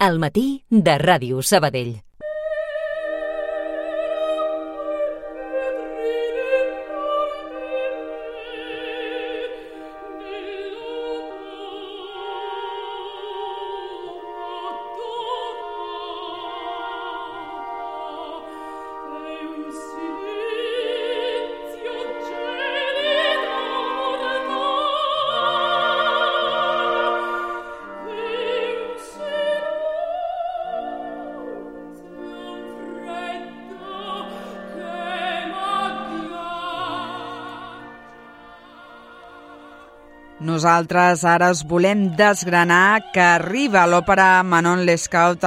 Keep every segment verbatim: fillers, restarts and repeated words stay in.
Al matí de Ràdio Sabadell. Nosaltres ara us volem desgranar que arriba l'òpera Manon Lescaut,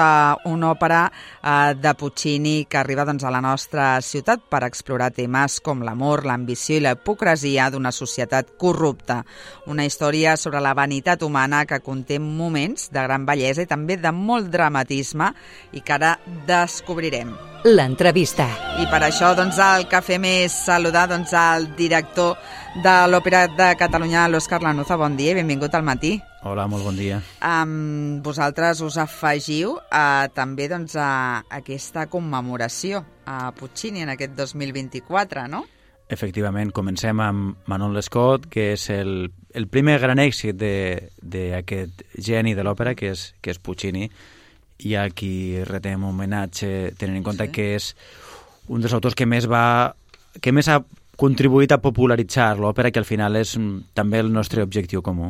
una òpera eh, de Puccini que arriba doncs, a la nostra ciutat per explorar temes com l'amor, l'ambició i la hipocresia d'una societat corrupta. Una història sobre la vanitat humana que conté moments de gran bellesa i també de molt dramatisme i que ara descobrirem. L'entrevista. I per això doncs, el que fem és saludar doncs, el director de l'Òpera de Catalunya, l'Òscar Lanuza. Bon dia i benvingut al matí. Hola, molt bon dia. Um, vosaltres us afegiu uh, també doncs, a aquesta commemoració a Puccini en aquest dos mil vint-i-quatre, no? Efectivament, comencem amb Manon Lescaut, que és el, el primer gran èxit d'aquest geni de l'òpera, que és, que és Puccini, i a qui retem homenatge, tenint en compte sí. que és un dels autors que més va que més ha contribuït a popularitzar l'òpera, que al final és també el nostre objectiu comú.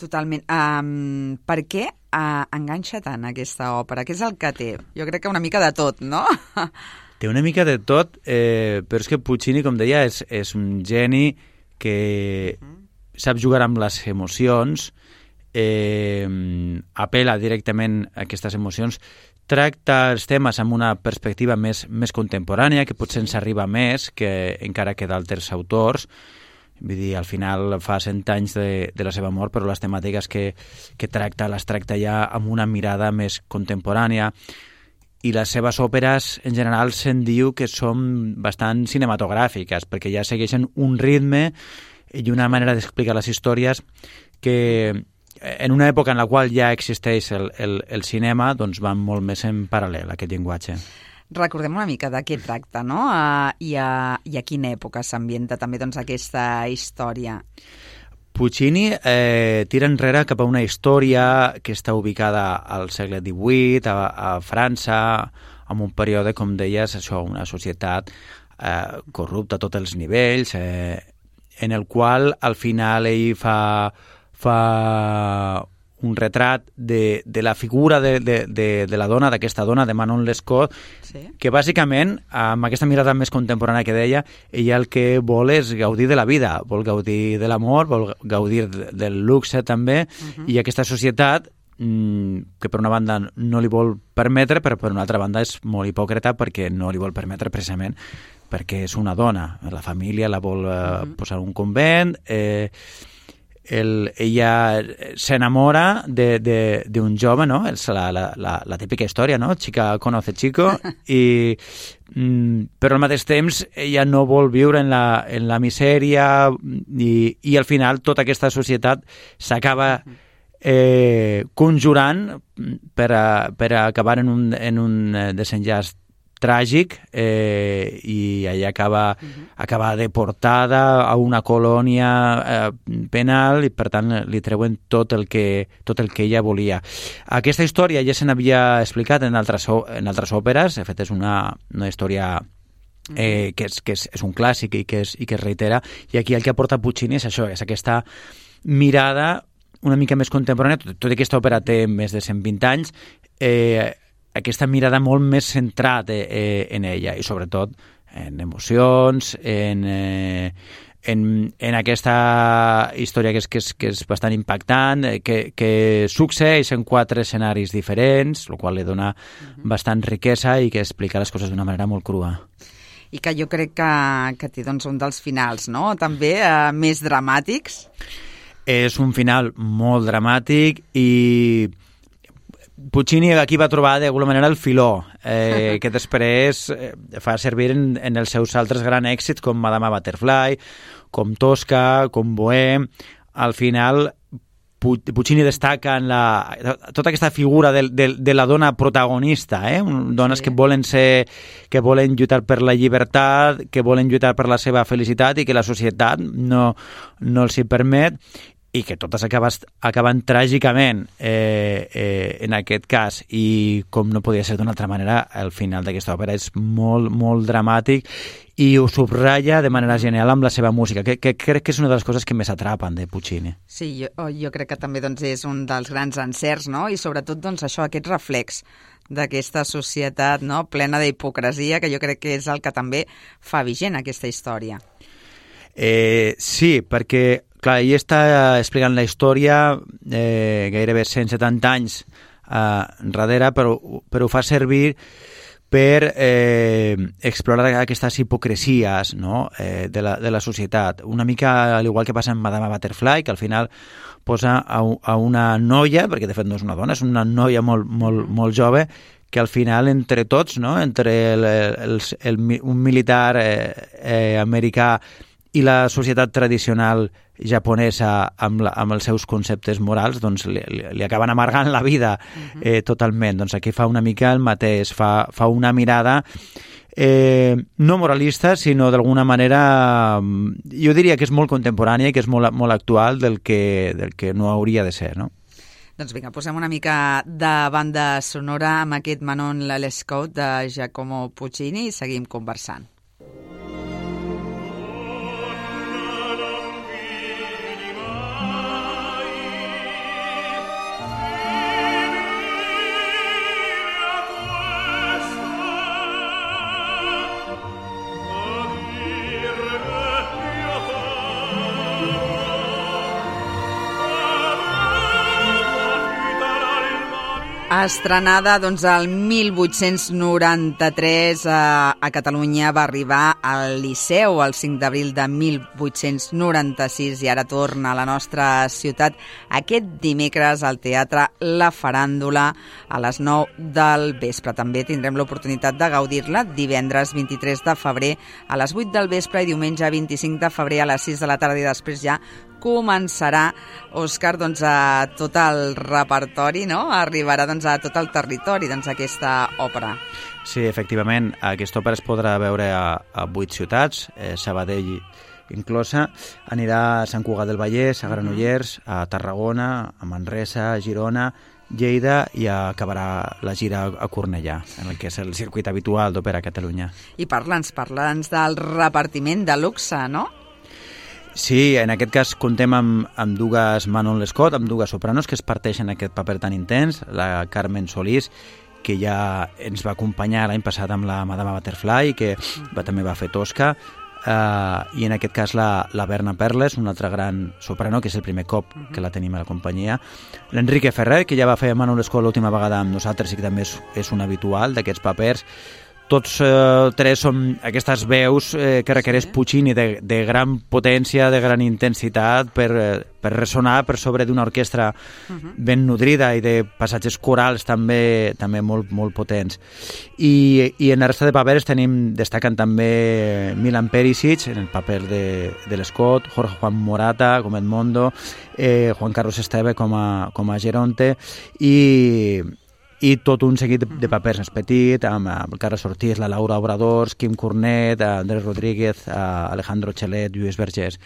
Totalment. Um, per què uh, enganxa tant aquesta òpera? Què és el que té? Jo crec que una mica de tot, no? Té una mica de tot, eh, però és que Puccini, com deia, és, és un geni que uh-huh. sap jugar amb les emocions, eh, apela directament a aquestes emocions, tracta els temes amb una perspectiva més, més contemporània, que potser ens arriba més que encara que d'altres autors. Vull dir, al final fa cent anys de, de la seva mort, però les temàtiques que, que tracta, les tracta ja amb una mirada més contemporània. I les seves òperes, en general, se'n diu que són bastant cinematogràfiques, perquè ja segueixen un ritme i una manera d'explicar les històries que en una època en la qual ja existeix el, el, el cinema, doncs van molt més en paral·lel, aquest llenguatge. Recordem una mica de què tracta, no? Uh, i, a, I a quina època s'ambienta també doncs, aquesta història? Puccini eh, tira enrere cap a una història que està ubicada al segle divuit, a, a França, en un període, com deies, això, una societat eh, corrupta a tots els nivells, eh, en el qual al final ell fa... fa un retrat de, de la figura de, de, de, de la dona, d'aquesta dona, de Manon Lescaut, sí. que bàsicament, amb aquesta mirada més contemporània que deia, ella el que vol és gaudir de la vida, vol gaudir de l'amor, vol gaudir del luxe també, uh-huh. i aquesta societat, que per una banda no li vol permetre, però per una altra banda és molt hipòcrita perquè no li vol permetre precisament perquè és una dona. La família la vol uh-huh. eh, posar un convent, eh, El, ella s'enamora d'un jove, no? És la, la, la, la típica història, no? Chica conoce chico, i, mm, però al mateix temps ella no vol viure en la, en la misèria i, i al final tota aquesta societat s'acaba eh, conjurant per, a, per a acabar en un, en un desenllaç tràgic eh, i ella acaba, uh-huh. acaba deportada a una colònia eh, penal i per tant li treuen tot el que, tot el que ella volia. Aquesta història ja se n'havia explicat en altres, en altres òperes, de fet és una, una història eh, que, és, que és, és un clàssic i que, és, i que es reitera, i aquí el que aporta Puccini és això, és aquesta mirada una mica més contemporània, tot, tot aquesta òpera té més de cent vint anys, eh, aquesta mirada molt més centrada eh, en ella i sobretot en emocions, en, eh, en, en aquesta història que és, que és, que és bastant impactant, eh, que, que succeeix en quatre escenaris diferents, el qual li dona uh-huh. bastant riquesa i que explica les coses d'una manera molt crua. I que jo crec que, que té doncs, un dels finals, no? També eh, més dramàtics. És un final molt dramàtic i Puccini aquí va trobar d'alguna manera el filó, eh, que després eh, fa servir en, en els seus altres grans èxits com Madama Butterfly, com Tosca, com Bohème. Al final Puccini destaca en la, tota aquesta figura de, de, de la dona protagonista, eh? dones sí. que volen ser, que volen lluitar per la llibertat, que volen lluitar per la seva felicitat i que la societat no, no els hi permet, i que totes acaben, acaben tràgicament eh, eh, en aquest cas, i com no podia ser d'una altra manera, el final d'aquesta òpera és molt, molt dramàtic i ho subratlla de manera genial amb la seva música, que, que crec que és una de les coses que més atrapen de Puccini. Sí, jo, jo crec que també doncs, és un dels grans encerts, no? I sobretot doncs, això, aquest reflex d'aquesta societat, no? Plena d'hipocresia, que jo crec que és el que també fa vigent aquesta història. Eh, sí, perquè clar, ell està explicant la història eh, gairebé cent setanta anys eh, enrere, però, però ho fa servir per eh, explorar aquestes hipocresies, no? eh, de, la, de la societat. Una mica al igual que passa amb Madame Butterfly, que al final posa a, a una noia, perquè de fet no és una dona, és una noia molt, molt, molt jove, que al final entre tots, no? entre el, el, el, un militar eh, eh, americà i la societat tradicional japonesa amb, la, amb els seus conceptes morals, doncs li, li acaben amargant la vida eh, totalment. Doncs aquí fa una mica el mateix, fa, fa una mirada eh, no moralista, sinó d'alguna manera, jo diria que és molt contemporània i que és molt, molt actual del que, del que no hauria de ser, no? Doncs vinga, posem una mica de banda sonora amb aquest Manon Lescaut de Giacomo Puccini i seguim conversant. Estrenada doncs, el mil vuit-cents noranta-tres a, a Catalunya, va arribar al Liceu el cinc d'abril de mil vuit-cents noranta-sis i ara torna a la nostra ciutat aquest dimecres al Teatre La Faràndula a les nou del vespre. També tindrem l'oportunitat de gaudir-la divendres vint-i-tres de febrer a les vuit del vespre i diumenge vint-i-cinc de febrer a les sis de la tarda i després ja començarà, Òscar, doncs, a tot el repertori, no? Arribarà doncs, a tot el territori doncs, aquesta òpera. Sí, efectivament, aquesta òpera es podrà veure a, a vuit ciutats, eh, Sabadell inclosa, anirà a Sant Cugat del Vallès, a Granollers, a Tarragona, a Manresa, a Girona, Lleida i acabarà la gira a Cornellà, en el que és el circuit habitual d'Òpera a Catalunya. I parla'ns, parla'ns del repartiment de luxe, no? Sí, en aquest cas contem amb, amb dues Manon Lescaut, amb dues sopranos que es parteixen aquest paper tan intens, la Carmen Solís, que ja ens va acompanyar l'any passat amb la Madame Butterfly, que va, també va fer Tosca, uh, i en aquest cas la, la Berna Perles, una altra gran soprano, que és el primer cop que la tenim a la companyia, l'Enrique Ferrer, que ja va fer Manon Lescaut l'última vegada amb nosaltres i que també és, és un habitual d'aquests papers. Tots eh, tres són aquestes veus eh, que requereix Puccini de, de gran potència, de gran intensitat per, eh, per ressonar per sobre d'una orquestra uh-huh. ben nodrida i de passatges corals també també molt, molt potents. I, i en la resta de papers tenim, destaquen també Milan Perisic en el paper de, de Lescaut, Jorge Juan Morata com Edmondo, eh, Juan Carlos Esteve com a, com a Geronte i... i tot un seguit de papers més petit, amb el Carles Ortiz, la Laura Obradors, Quim Cornet, Andrés Rodríguez, Alejandro Chelet, Lluís Vergés.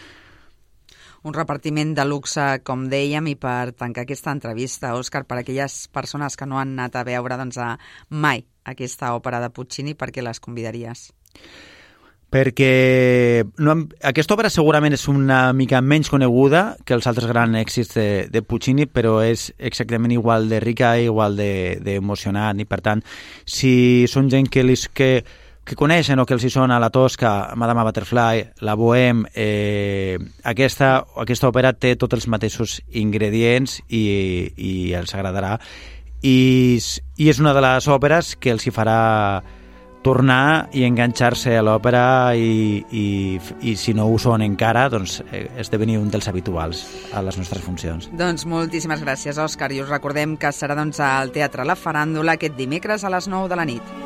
Un repartiment de luxe, com dèiem, i per tancar aquesta entrevista, Òscar, per a aquelles persones que no han anat a veure doncs, a mai aquesta òpera de Puccini, per què les convidaries? Perquè no, aquesta obra segurament és una mica menys coneguda que els altres grans èxits de, de Puccini, però és exactament igual de rica i igual d'emocionant, de, i per tant, si són gent que, li, que, que coneixen o que els hi sona la Tosca, Madame Butterfly, la Bohème, eh, aquesta, aquesta òpera té tots els mateixos ingredients i, i els agradarà. I, I és una de les òperes que els hi farà tornar i enganxar-se a l'òpera i, i, i si no ho són encara, doncs esdevenir un dels habituals a les nostres funcions. Doncs moltíssimes gràcies, Òscar, i us recordem que serà doncs, al Teatre La Faràndula aquest dimecres a les nou de la nit.